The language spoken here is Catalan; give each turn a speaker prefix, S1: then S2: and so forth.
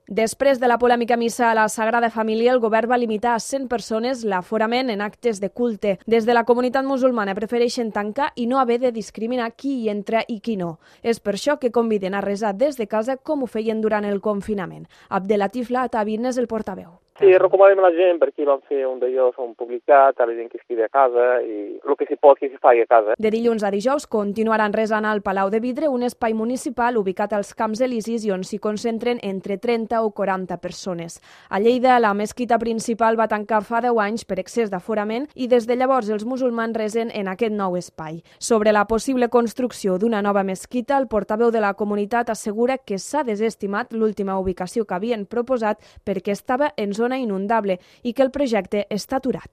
S1: Després de la polèmica missa a la Sagrada Família, el govern va limitar a 100 persones l'aforament en actes de culte. Des de la comunitat musulmana prefereixen tancar i no haver de discriminar qui hi entra i qui no. És per això que conviden a resar des de casa com ho feien durant el confinament. Abdelatif Latabin és el portaveu.
S2: Sí, recomanem a la gent perquè van fer un d'allò, un publicat, a la gent que es quedi a casa i el que s'hi pot que s'hi faci a casa.
S1: De dilluns a dijous continuaran resant al Palau de Vidre, un espai municipal ubicat als Camps Elisis i on s'hi concentren entre 30 o 40 persones. A Lleida, la mesquita principal va tancar fa 10 anys per excés d'aforament i des de llavors els musulmans resen en aquest nou espai. Sobre la possible construcció d'una nova mesquita, el portaveu de la comunitat assegura que s'ha desestimat l'última ubicació que havien proposat perquè estava en zona inundable i que el projecte està aturat.